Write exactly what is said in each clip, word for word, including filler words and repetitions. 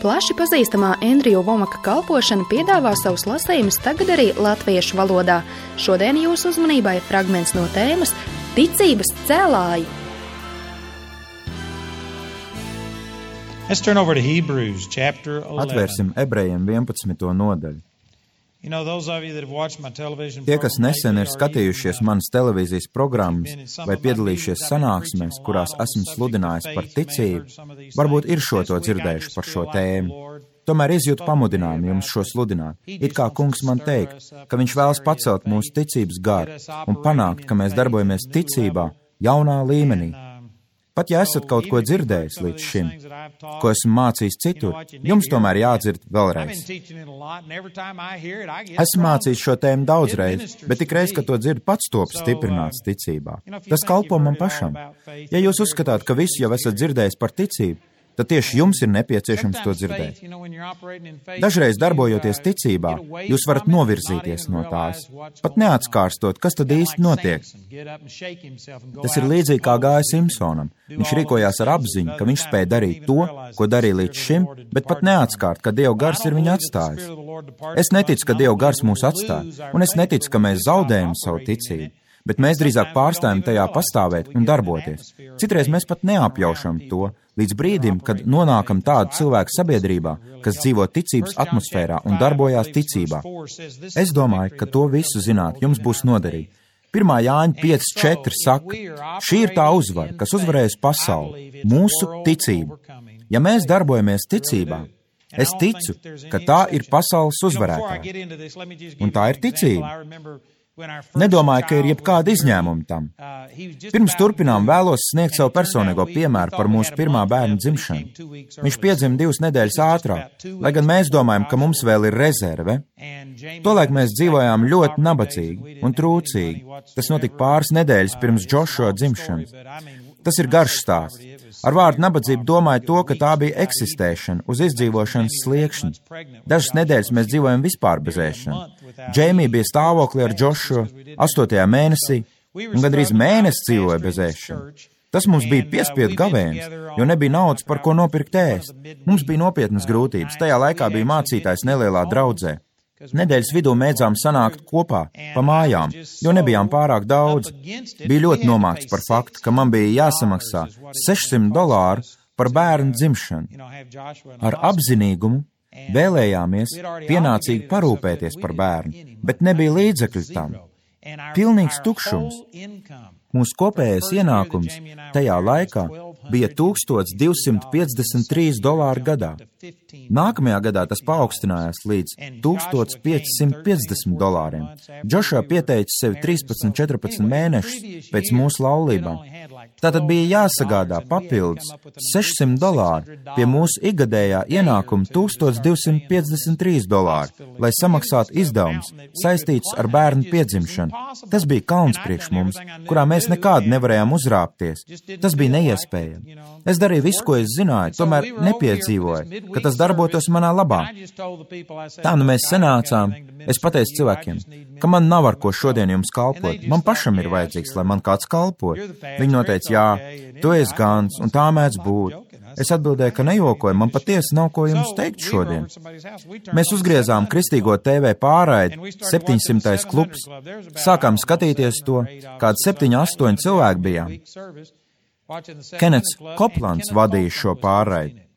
Plaši pazīstamā Andrija Vomaka kalpošana piedāvā savus lasījumus tagad arī latviešu valodā. Šodien jūsu uzmanībai fragments no tēmas Ticības cēlāji. Atvērsim Ebrejiem vienpadsmito nodaļu. Tie, kas nesen ir skatījušies manas televīzijas programmas vai piedalījušies sanāksmēs, kurās esmu sludinājis par ticību, varbūt ir šo to dzirdējuši par šo tēmu. Tomēr izjūtu pamudinājumu jums šo sludināt. It kā kungs man teikt, ka viņš vēlas pacelt mūsu ticības garu un panākt, ka mēs darbojamies ticībā jaunā līmenī. Pat ja esat kaut ko dzirdējis līdz šim, ko esmu mācījis citur, jums tomēr jādzird vēlreiz. Esmu mācījis šo tēmu daudzreiz, bet tikreiz, kad to dzirdu, pats top stiprināts ticībā. Tas kalpo man pašam. Ja jūs uzskatāt, ka visu jau esat dzirdējis par ticību, tad tieši jums ir nepieciešams to dzirdēt. Dažreiz darbojoties ticībā, jūs varat novirzīties no tās, pat neatskārstot, kas tad īsti notiek. Tas ir līdzīgi kā gāja Simpsonam. Viņš rīkojās ar apziņu, ka viņš spēja darīt to, ko darīja līdz šim, bet pat neatskārt, ka Dieva gars ir viņu atstājis. Es neticu, ka Dieva gars mūs atstāja, un es neticu, ka mēs zaudējam savu ticību. Bet mēs drīzāk pārstājam tajā pastāvēt un darboties. Citreiz mēs pat neapjaušam to, līdz brīdim, kad nonākam tādu cilvēku sabiedrībā, kas dzīvo ticības atmosfērā un darbojās ticībā. Es domāju, ka to visu zināt jums būs noderīgi. pirmā Jāņa pieci četri saka, šī ir tā uzvara, kas uzvarējusi pasauli, mūsu ticību. Ja mēs darbojamies ticībā, es ticu, ka tā ir pasaules uzvarētāja. Un tā ir ticība. Nedomāju, ka ir jebkāda izņēmuma tam. Pirms turpinām vēlos sniegt savu personīgo piemēru par mūsu pirmā bērna dzimšanu. Viņš piedzima divas nedēļas ātrāk, lai gan mēs domājam, ka mums vēl ir rezerve. Tolaik mēs dzīvojām ļoti nabadzīgi un trūcīgi. Tas notika pāris nedēļas pirms Džošua dzimšanas. Tas ir garš stāsts. Ar vārdu nabadzību domāju to, ka tā bija eksistēšana uz izdzīvošanas sliekšņa. Dažas nedēļas mēs dzīvojam vispār bez ēšana. Džeimija bija stāvoklī ar Džošu astotajā mēnesī, un gandrīz mēnesi dzīvoja bez ēšana. Tas mums bija piespiedu gavēnis, jo nebija naudas, par ko nopirkt ēst. Mums bija nopietnas grūtības. Tajā laikā bija mācītājs nelielā draudzē. Nedēļas vidū mēdzām sanākt kopā, pa mājām, jo nebijām pārāk daudz. Bija ļoti nomākts par faktu, ka man bija jāsamaksā sešsimt dolāru par bērnu dzimšanu. Ar apzinīgumu vēlējāmies pienācīgi parūpēties par bērnu, bet nebija līdzekļu tam. Pilnīgs tukšums. Mūsu kopējais ienākums tajā laikā bija tūkstoš divsimt piecdesmit trīs dolāri gadā. Nākamajā gadā tas paaugstinājās līdz tūkstoš piecsimt piecdesmit dolāriem. Džošua pieteica sevi trīspadsmit četrpadsmit mēnešus pēc mūsu laulībām. Tātad bija jāsagādā papildus sešsimt dolāri pie mūsu ikgadējā ienākuma tūkstoš divsimt piecdesmit trīs dolāri, lai samaksātu izdevumus saistītus ar bērnu piedzimšanu. Tas bija kauns priekš mums, kurā mēs nekādu nevarējām uzrāpties. Tas bija neiespējami. Es darīju visu, ko es zināju, tomēr nepiedzīvoju, ka tas darbotos manā labā. Tā nu mēs sanācām. Es pateicu cilvēkiem, ka man nav ar ko šodien jums kalpot. Man pašam ir vajadzīgs, lai man kāds kalpo. Viņi noteica, jā, tu esi gans, un tā mēdz būt. Es atbildēju, ka nejokoju, man patiesi nav ko jums teikt šodien. Mēs uzgriezām kristīgo T V pārraidi septiņsimtais klubs. Sākām skatīties to, kādi septiņi, astoņi cilvēki bijām. Kenets Koplants vadīja šo pārraidi.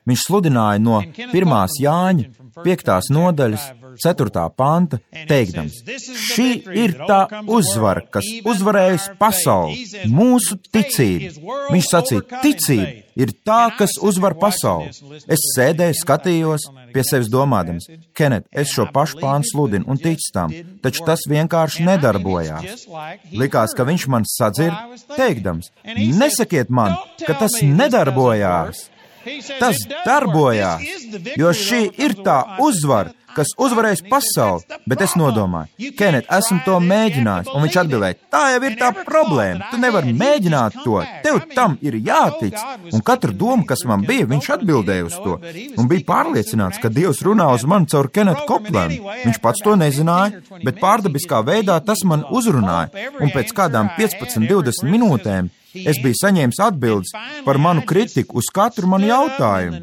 Viņš sludināja no pirmās Jāņa piektās nodaļas ceturtā panta, teikdams, šī ir tā uzvara, kas uzvarējusi pasauli, mūsu ticība. Viņš sacīja, ticība ir tā, kas uzvar pasauli. Es sēdēju, skatījos, pie sevis domādams, Kenet, es šo pašu pānu sludinu un ticu tam, taču tas vienkārši nedarbojās. Likās, ka viņš man sadzird, teikdams, nesakiet man, ka tas nedarbojās. Tas darbojās, jo šī ir tā uzvara, kas uzvarēs pasauli, bet es nodomāju, Kenet, esmu to mēģinājis, un viņš atbildēja, tā jau ir tā problēma, tu nevari mēģināt to, tev tam ir jātic, un katru domu, kas man bija, viņš atbildēja uz to, un bija pārliecināts, ka Dievs runā uz mani caur Kenetu Koplanu. Viņš pats to nezināja, bet pārdabiskā veidā tas man uzrunāja, un pēc kādām piecpadsmit, divdesmit minūtēm Es biju saņēmis atbildes par manu kritiku uz katru manu jautājumu.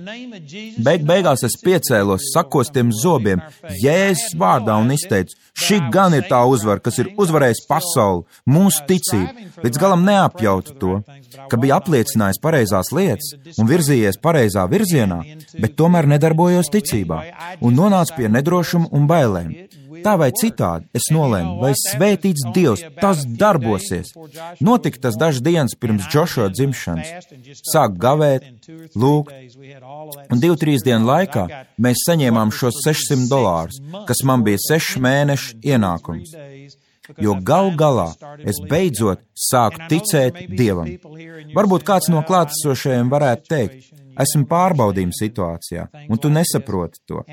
Beig beigās es piecēlos sakostiem zobiem Jēzus vārdā un izteicu, šī gan ir tā uzvara, kas ir uzvarējis pasauli, mūsu ticību, līdz galam neapjautu to, ka bija apliecinājis pareizās lietas un virzījies pareizā virzienā, bet tomēr nedarbojos ticībā un nonācu pie nedrošuma un bailēm. Tā vai citādi es nolēmu, vai svētīts Dievs, tas darbosies. Notika tas dažas dienas pirms Džošua dzimšanas. Sāk gavēt, lūgt, un divu, trīs dienu laikā mēs saņēmām šos sešsimt dolārus, kas man bija sešu mēnešu ienākums. Jo gal galā es beidzot sāku ticēt Dievam. Varbūt kāds no klātesošajiem varētu teikt, esmu pārbaudījuma situācijā, un tu nesaproti to.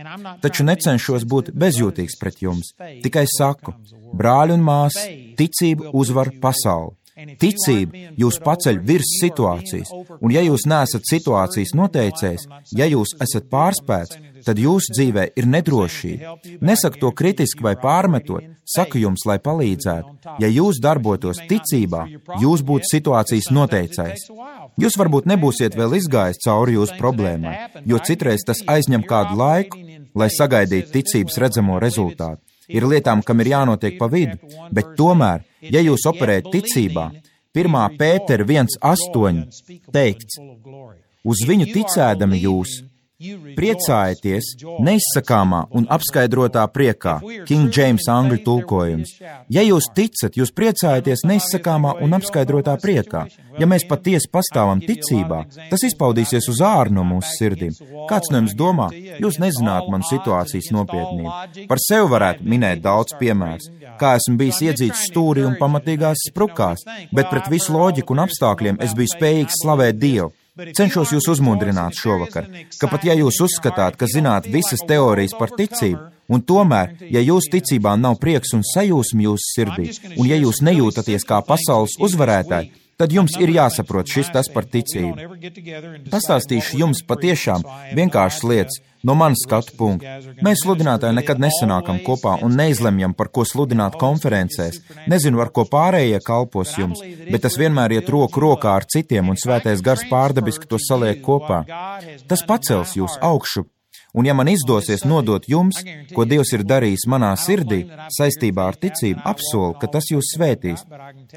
Taču necenšos būt bezjūtīgs pret jums. Tikai saku, brāļi un māsas, ticība uzvar pasauli. Ticība jūs paceļ virs situācijas, un ja jūs neesat situācijas noteicējs, ja jūs esat pārspēts, tad jūsu dzīvē ir nedrošība. Nesaku to kritiski vai pārmetot, saku jums, lai palīdzētu. Ja jūs darbotos ticībā, jūs būtu situācijas noteicējs. Jūs varbūt nebūsiet vēl izgājis cauri jūsu problēmai, jo citreiz tas aizņem kādu laiku, lai sagaidītu ticības redzamo rezultātu. Ir lietām, kam ir jānotiek pa vidu, bet tomēr, ja jūs operējat ticībā, pirmā Pētera viens astoņi teikts, uz viņu ticēdami jūs priecājieties neizsakāmā un apskaidrotā priekā, King James angļu tulkojums. Ja jūs ticat, jūs priecājieties neizsakāmā un apskaidrotā priekā. Ja mēs patiesi pastāvam ticībā, tas izpaudīsies uz āru no mūsu sirdīm. Kāds no jums domā, jūs nezināt manu situācijas nopietnību. Par sevi varētu minēt daudz piemērus, kā esmu bijis iedzīts stūrī un pamatīgās sprukās, bet pret visu loģiku un apstākļiem es biju spējīgs slavēt Dievu. Cenšos jūs uzmundrināt šovakar, ka pat ja jūs uzskatāt, ka zināt visas teorijas par ticību, un tomēr, ja jūsu ticībā nav prieks un sajūsma jūsu sirdī, un ja jūs nejūtaties kā pasaules uzvarētāji, tad jums ir jāsaprot šis tas par ticību. Pastāstīšu jums patiešām vienkāršas lietas no manas skatu punkta. Mēs sludinātāji nekad nesanākam kopā un neizlemjam, par ko sludināt konferencēs. Nezinu, ar ko pārējie kalpos jums, bet tas vienmēr iet roku rokā ar citiem un svētais gars pārdabiski to saliek kopā. Tas pacels jūs augšu. Un ja man izdosies nodot jums, ko Dievs ir darījis manā sirdī, saistībā ar ticību, apsolu, ka tas jūs svētīs.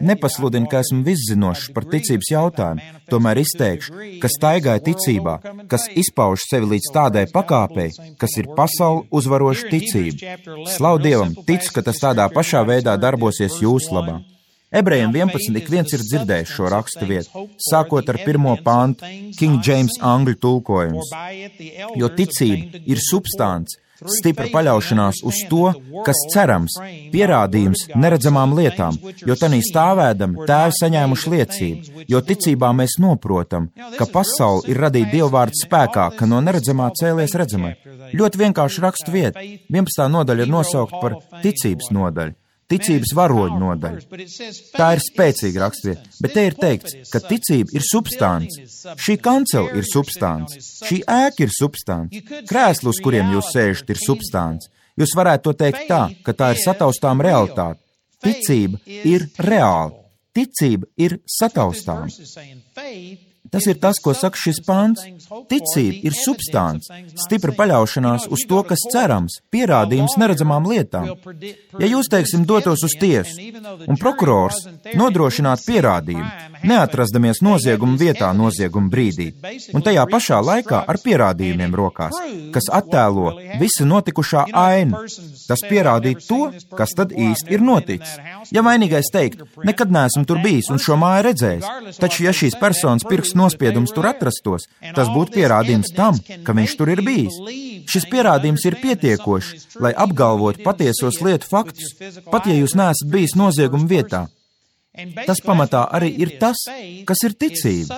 Nepasludinu, ka esmu viszinošs par ticības jautājumu, tomēr izteikšu, ka staigāju ticībā, kas izpauž sevi līdz tādai pakāpei, kas ir pasauli uzvaroša ticība. Slavu Dievam, ticu, ka tas tādā pašā veidā darbosies jūsu labā. Ebrejiem vienpadsmit ik viens ir dzirdējis šo rakstu vietu, sākot ar pirmo pantu, King James angļu tulkojums. Jo ticība ir substance, stipra paļaušanās uz to, kas cerams, pierādījums neredzamām lietām, jo tanī stāvēdami tēvi saņēmuši liecību, jo ticībā mēs noprotam, ka pasauli ir radīta Dieva vārda spēkā, ka no neredzamā cēlies redzamai. Ļoti vienkārši rakstu vieta, vienpadsmitā nodaļa ir nosaukt par ticības nodaļu. Ticības varoņu nodaļa. Tā ir spēcīga rakstvieta, bet te ir teikts, ka ticība ir substance. Šī kancela ir substance, šī ēka ir substance, krēsli, uz kuriem jūs sēžat, ir substance. Jūs varētu to teikt tā, ka tā ir sataustām realitāte. Ticība ir reāla, ticība ir sataustām. Tas ir tas, ko saka šis pants. Ticība ir substance, stipra paļaušanās uz to, kas cerams, pierādījums neredzamām lietām. Ja jūs, teiksim, dotos uz tiesu, un prokurors nodrošinātu pierādījumu, neatrasdamies nozieguma vietā nozieguma brīdī, un tajā pašā laikā ar pierādījumiem rokās, kas attēlo visa notikušā ainu, tas pierādītu to, kas tad īsti ir noticis. Ja vainīgais teikt, nekad neesmu tur bijis un šo māju redzējis, taču ja šīs personas pirkstu nospiedums tur atrastos, tas būtu pierādījums tam, ka viņš tur ir bijis. Šis pierādījums ir pietiekošs, lai apgalvotu patiesos lietu faktus, pat ja jūs neesat bijis nozieguma vietā. Tas pamatā arī ir tas, kas ir ticība,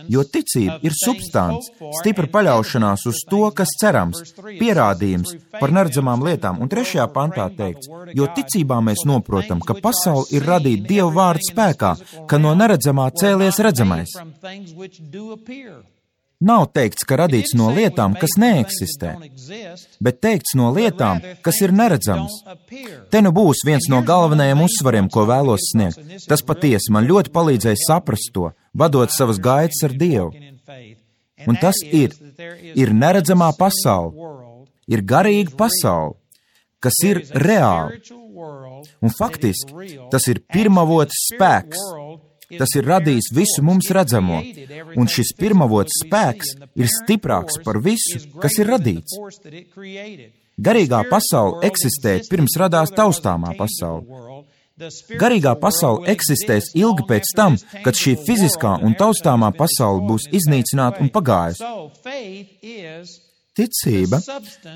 jo ticība ir substance, stipra paļaušanās uz to, kas cerams, pierādījums par neredzamām lietām. Un trešajā pantā teikts, jo ticībā mēs noprotam, ka pasaule ir radīta Dieva vārda spēkā, ka no neredzamā cēlies redzamais. Nav teikts, ka radīts no lietām, kas neeksistē, bet teikts no lietām, kas ir neredzamas. Te nu būs viens no galvenajiem uzsvariem, ko vēlos sniegt. Tas patiesi man ļoti palīdzēja saprast to. vadot savas gaitas ar Dievu. Un tas ir, ir neredzamā pasaule, ir garīga pasaule, kas ir reāla. Un faktiski tas ir pirmavots spēks, tas ir radījis visu mums redzamo, un šis pirmavots spēks ir stiprāks par visu, kas ir radīts. Garīgā pasaule eksistē pirms radās taustāmā pasaule. Garīgā pasaule eksistēs ilgi pēc tam, kad šī fiziskā un taustāmā pasaule būs iznīcināta un pagājusi. Ticība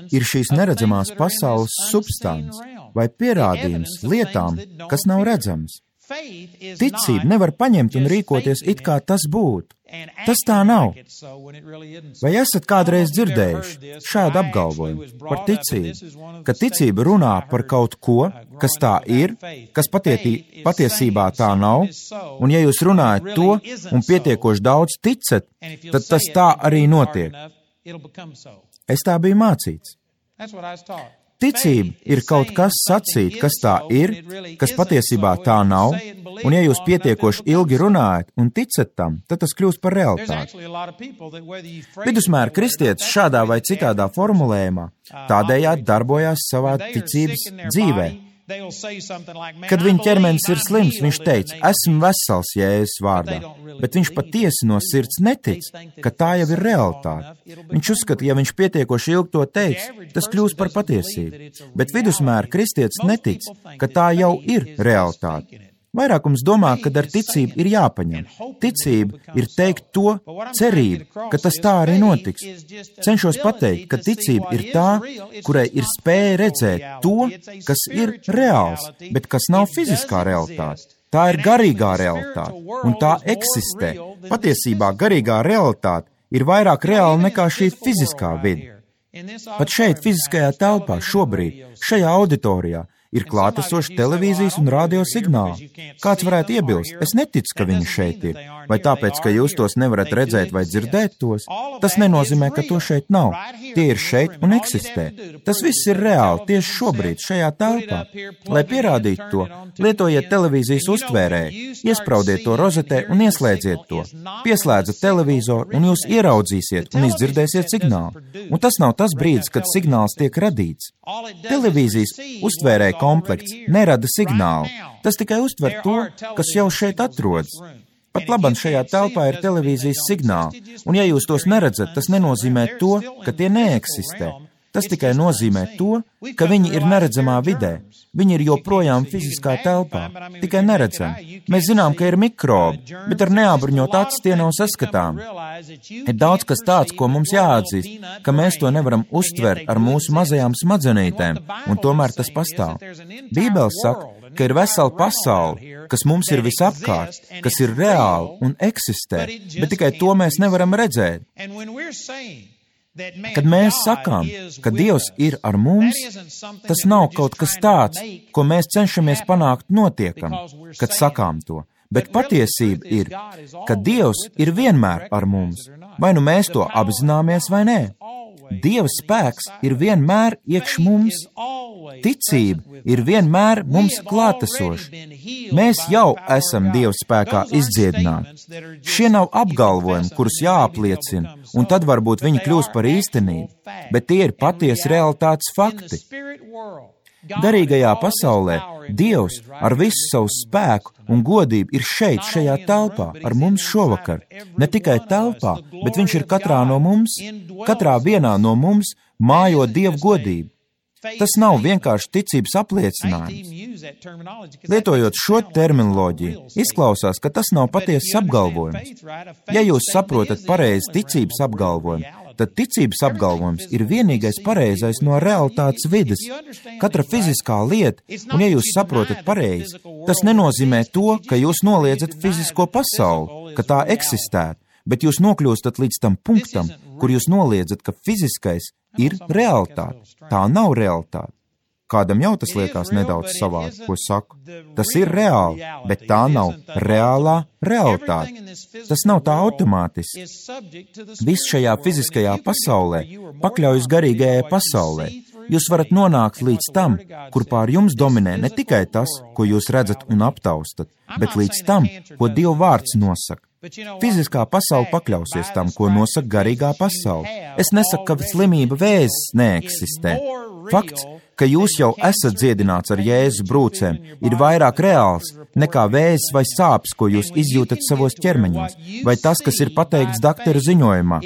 ir šīs neredzamās pasaules substance vai pierādījums lietām, kas nav redzamas. Ticība nevar paņemt un rīkoties it kā tas būtu. Tas tā nav. Vai esat kādreiz dzirdējuši šādu apgalvojumu par ticību, ka ticība runā par kaut ko, kas tā ir, kas patietī, patiesībā tā nav, un ja jūs runājat to un pietiekoši daudz ticat, tad tas tā arī notiek. Es tā biju mācīts. Ticība ir kaut kas sacīt, kas tā ir, kas patiesībā tā nav, un ja jūs pietiekoši ilgi runājat un ticat tam, tad tas kļūst par realitāti. Vidusmēra kristietis šādā vai citādā formulējumā tādējādi darbojās savā ticības dzīvē. Kad viņa ķermenis ir slims, viņš teica, esmu vesels Jēzus vārdā, bet viņš patiesi no sirds netic, ka tā jau ir realitāte. Viņš uzskata, ja viņš pietiekoši ilgi to teiks, tas kļūs par patiesību, bet vidusmēra kristietis netic, ka tā jau ir realitāte. Vairākums domā, ka ar ticību ir jāpaņem. Ticība ir teikt to cerību, ka tas tā arī notiks. Cenšos pateikt, ka ticība ir tā, kurai ir spēja redzēt to, kas ir reāls, bet kas nav fiziskā realitāte. Tā ir garīgā realitāte, un tā eksistē. Patiesībā garīgā realitāte ir vairāk reāla nekā šī fiziskā vide. Pat šeit, fiziskajā telpā, šobrīd, šajā auditorijā, ir klātesoši televīzijas un radio signāli. Kāds varētu iebilst, es neticu, ka viņi šeit ir, vai tāpēc, ka jūs tos nevarat redzēt vai dzirdēt tos, tas nenozīmē, ka to šeit nav. Tie ir šeit un eksistē. Tas viss ir reāli tieši šobrīd, šajā telpā. Lai pierādītu to, lietojiet televīzijas uztvērēju, iespraudiet to rozetē un ieslēdziet to. Pieslēdzat televizoru un jūs ieraudzīsiet un izdzirdēsiet signālu. Un tas nav tas brīdis, kad signāls tiek radīts. Televīzijas uztvērēja komplekts nerada signālu. Tas tikai uztver to, kas jau šeit atrodas. Pat labam šajā telpā ir televīzijas signāli, un ja jūs tos neredzat, tas nenozīmē to, ka tie neeksistē. Tas tikai nozīmē to, ka viņi ir neredzamā vidē. Viņi ir joprojām fiziskā telpā, tikai neredzami. Mēs zinām, ka ir mikrobi, bet ar neapbruņot acis tie nav saskatām. Ir daudz kas tāds, ko mums jāatzīst, ka mēs to nevaram uztvert ar mūsu mazajām smadzenītēm, un tomēr tas pastāv. Bībele saka, ka ir vesela pasaule, kas mums ir visapkārt, kas ir reāli un eksistē, bet tikai to mēs nevaram redzēt. Kad mēs sakām, ka Dievs ir ar mums, tas nav kaut kas tāds, ko mēs cenšamies panākt notiekam, kad sakām to. Bet patiesība ir, ka Dievs ir vienmēr ar mums, vai nu mēs to apzināmies vai nē. Dieva spēks ir vienmēr iekš mums. Ticība ir vienmēr mums klātesoša. Mēs jau esam Dieva spēkā izdziedināti. Šie nav apgalvojumi, kurus jāapliecina, un tad varbūt viņi kļūs par īstenību, bet tie ir patiesi realitātes fakti. Garīgajā pasaulē Dievs ar visu savu spēku un godību ir šeit, šajā telpā, ar mums šovakar. Ne tikai telpā, bet viņš ir katrā no mums, katrā vienā no mums mājo Dievu godību. Tas nav vienkārši ticības apliecinājums. Lietojot šo terminoloģiju, izklausās, ka tas nav patiesas apgalvojums. Ja jūs saprotat pareizi ticības apgalvojumu, tad ticības apgalvojums ir vienīgais pareizais no realitātes vides. Katra fiziskā lieta, un ja jūs saprotat pareizi, tas nenozīmē to, ka jūs noliedzat fizisko pasauli, ka tā eksistētu, bet jūs nokļūstat līdz tam punktam, kur jūs noliedzat, ka fiziskais ir realitāte. Tā nav realitāte. Kādam jau tas liekas nedaudz savādi, ko saku. Tas ir reāli, bet tā nav reālā realitāte. Tas nav tā automātiski. Viss šajā fiziskajā pasaulē pakļaujas garīgajai pasaulē. Jūs varat nonākt līdz tam, kur pār jums dominē ne tikai tas, ko jūs redzat un aptaustat, bet līdz tam, ko Dieva vārds nosaka. Fiziskā pasaule pakļausies tam, ko nosaka garīgā pasaule. Es nesaku, ka slimība vēzis neeksistē. Fakts, ka jūs jau esat dziedināts ar Jēzus brūcēm, ir vairāk reāls nekā vēzis vai sāpes, ko jūs izjūtat savos ķermeņos, vai tas, kas ir pateikts dakteru ziņojumā.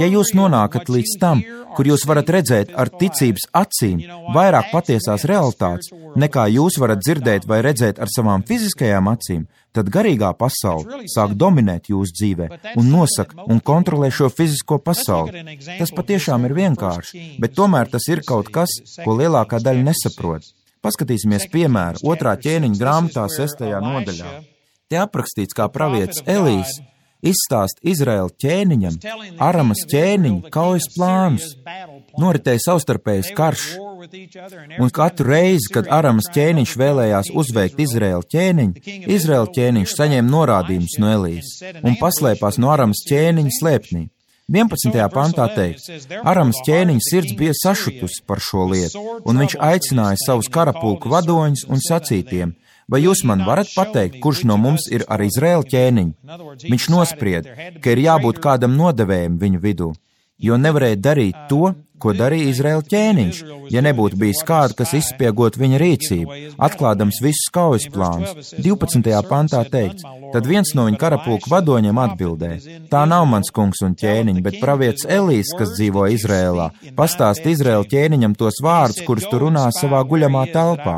Ja jūs nonākat līdz tam, kur jūs varat redzēt ar ticības acīm vairāk patiesās realitātes, nekā jūs varat dzirdēt vai redzēt ar savām fiziskajām acīm, tad garīgā pasaule sāk dominēt jūsu dzīvē un nosaka un kontrolē šo fizisko pasauli. Tas patiešām ir vienkārši, bet tomēr tas ir kaut kas, ko lielākā daļa nesaprot. Paskatīsimies piemēru otrā ķēniņa grāmatā sestajā nodaļā. Te aprakstīts, kā pravietis Elijs izstāst Izraēla ķēniņam, Aramas ķēniņa kaujas plānus. Noritēja savstarpējs karš, un katru reizi, kad Aramas ķēniņš vēlējās uzveikt Izraēla ķēniņu, Izraēla ķēniņš saņēma norādījumus no Elijas un paslēpās no Aramas ķēniņa slēpnī. vienpadsmitajā pantā teikts, Aramas ķēniņa sirds bija sašutusi par šo lietu, un viņš aicināja savus karapulku vadoņus un sacītiem: vai jūs man varat pateikt, kurš no mums ir ar Izraēla ķēniņu? Viņš nosprieda, ka ir jābūt kādam nodevējam viņu vidū, jo nevarēja darīt to, ko darīja Izraēla ķēniņš, ja nebūtu bijis kāda, kas izspiegot viņa rīcību, atklādams visus kaujas plānus. divpadsmitajā pantā teikts, tad viens no viņa karapulku vadoņiem atbildēja: tā nav mans kungs un ķēniņš, bet pravietis Elijs, kas dzīvo Izrēlā, pastāst Izraēla ķēniņam tos vārdus, kurus tu runā savā guļamā telpā.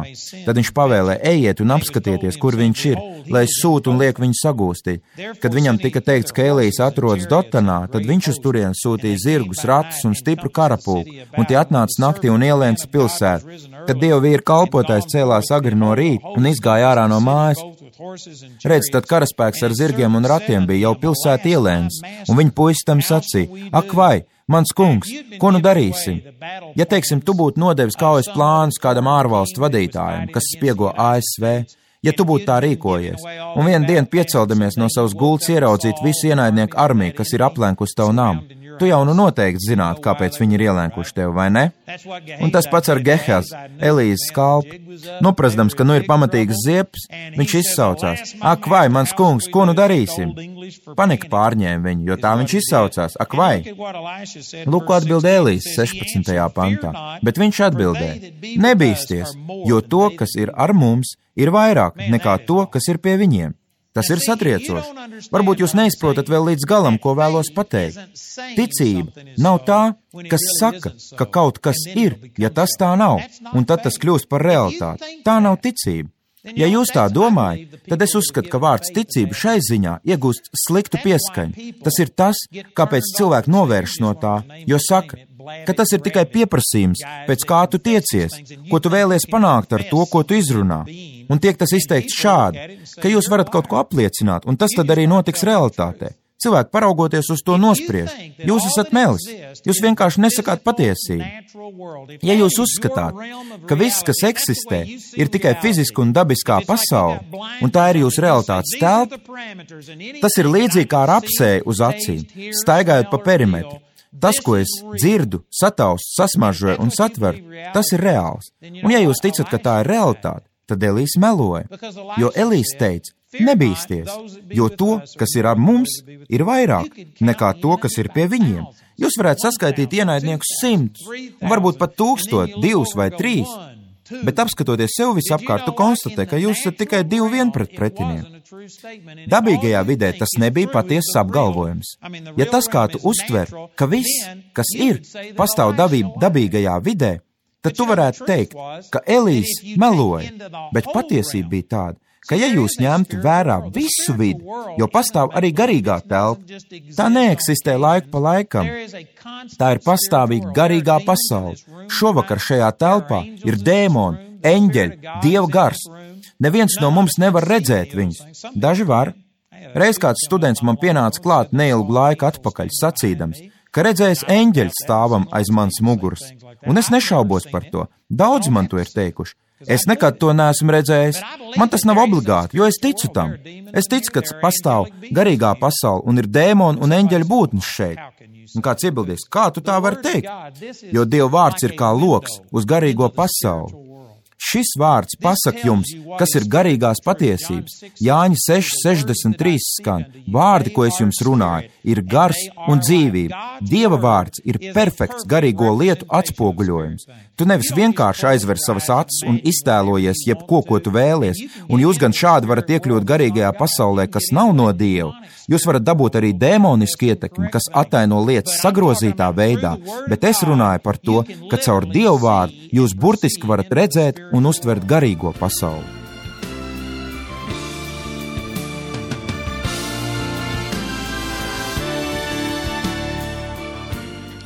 Tad viņš pavēlē: ejiet un apskatieties, kur viņš ir, lai es sūtu un lieku viņu sagūstīt. Kad viņam tika teikts, ka Elijs atrodas Dotanā, tad viņš uz turieni sūtīja zirgus, ratus un stipru karapulku, un tie atnāca naktī un ielēca pilsētu. Kad Dieva vīra kalpotājs cēlās agri no rīta un izgāja ārā no mājas, redz, tad karaspēks ar zirgiem un ratiem bija jau pilsētu ielēns, un viņa puisis tam sacīja: ak vai, mans kungs, ko nu darīsim? Ja, teiksim, tu būtu nodevis kaujas plānus kādam ārvalstu vadītājam, kas spiego A S V, ja tu būtu tā rīkojies, un vienu dienu pieceldamies no savas gultas ieraudzīt visu ienaidnieku armiju, kas ir aplenkusi tavu namu, tu jau nu noteikti zinātu, kāpēc viņi ir ielēkuši tevi, vai ne? Un tas pats ar Gehaz, Elijas kalpu. Noprastams, ka nu ir pamatīgs ziepes, viņš izsaucās: ak vai, mans kungs, ko nu darīsim? Panika pārņēma viņu, jo tā viņš izsaucās: ak vai? Lūk, ko atbild Elijs sešpadsmitajā pantā, bet viņš atbildēja: nebīsties, jo to, kas ir ar mums, ir vairāk nekā to, kas ir pie viņiem. Tas ir satriecoši. Varbūt jūs neizprotat vēl līdz galam, ko vēlos pateikt. Ticība nav tā, kas saka, ka kaut kas ir, ja tas tā nav, un tad tas kļūst par realitāti. Tā nav ticība. Ja jūs tā domājat, tad es uzskatu, ka vārds ticība šai ziņā iegūst sliktu pieskaņu. Tas ir tas, kāpēc cilvēki novērš no tā, jo saka, ka tas ir tikai pieprasījums, pēc kā tu tiecies, ko tu vēlies panākt ar to, ko tu izrunā. Un tiek tas izteikts šādi, ka jūs varat kaut ko apliecināt, un tas tad arī notiks realitātē. Cilvēki, paraugoties uz to, nospriež: jūs esat melis, jūs vienkārši nesakāt patiesību. Ja jūs uzskatāt, ka viss, kas eksistē, ir tikai fiziska un dabiskā pasaule, un tā ir jūsu realitātes telpa, tas ir līdzīgi kā ar apsēju uz acīm, staigājot pa perimetru. Tas, ko es dzirdu, sataustu, sasmaržoju un satveru, tas ir reāls. Un ja jūs ticat, ka tā ir realitāte, tad Elijs meloja, jo Elijs teica: nebīsties, jo to, kas ir ar mums, ir vairāk nekā to, kas ir pie viņiem. Jūs varētu saskaitīt ienaidniekus simtus, un varbūt pat tūkstot, divus vai trīs, bet apskatoties sev visapkārt, tu konstatē, ka jūs esat tikai divi vien pret pretinieku. Dabīgajā vidē tas nebija patiesas apgalvojums. Ja tas, kā tu uztver, ka viss, kas ir, pastāv dabī, dabīgajā vidē, tad tu varētu teikt, ka Elijs meloja, bet patiesība bija tāda, ka ja jūs ņemtu vērā visu vidi, jo pastāv arī garīgā telpa, tā neeksistē laiku pa laikam. Tā ir pastāvīga garīgā pasaule. Šovakar šajā telpā ir dēmoni, eņģeļi, Dieva gars. Neviens no mums nevar redzēt viņus. Daži var. Reiz kāds students man pienāca klāt neilgu laiku atpakaļ, sacīdams, ka redzējis eņģeļu stāvam aiz manas muguras. Un es nešaubos par to. Daudz man to ir teikuši. Es nekad to neesmu redzējis. Man tas nav obligāti, jo es ticu tam. Es ticu, ka pastāv garīgā pasaule un ir dēmoni un eņģeļu būtnes šeit. Un kāds iebildīs, kā tu tā vari teikt? Jo Dieva vārds ir kā loks uz garīgo pasauli. Šis vārds pasaka jums, kas ir garīgās patiesības. Jāņa seši sešdesmit trīs skan. Vārdi, ko es jums runāju, ir gars un dzīvība. Dieva vārds ir perfekts garīgo lietu atspoguļojums. Tu nevis vienkārši aizver savas acis un iztēlojies jebko, ko tu vēlies, un jūs gan šādi varat iekļūt garīgajā pasaulē, kas nav no Dieva. Jūs varat dabūt arī dēmonisku ietekmi, kas attaino lietas sagrozītā veidā, bet es runāju par to, ka caur Dievu vārdu jūs burtiski varat redzēt un uztvert garīgo pasauli.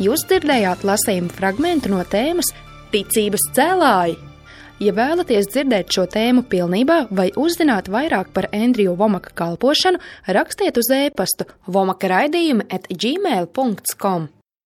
Jūs dzirdējāt lasījumu fragmentu no tēmas Ticības cēlāji. Ja vēlaties dzirdēt šo tēmu pilnībā vai uzzināt vairāk par Endriju Vomaka kalpošanu, rakstiet uz e-pastu vomaka raidījumi at gmail dot com.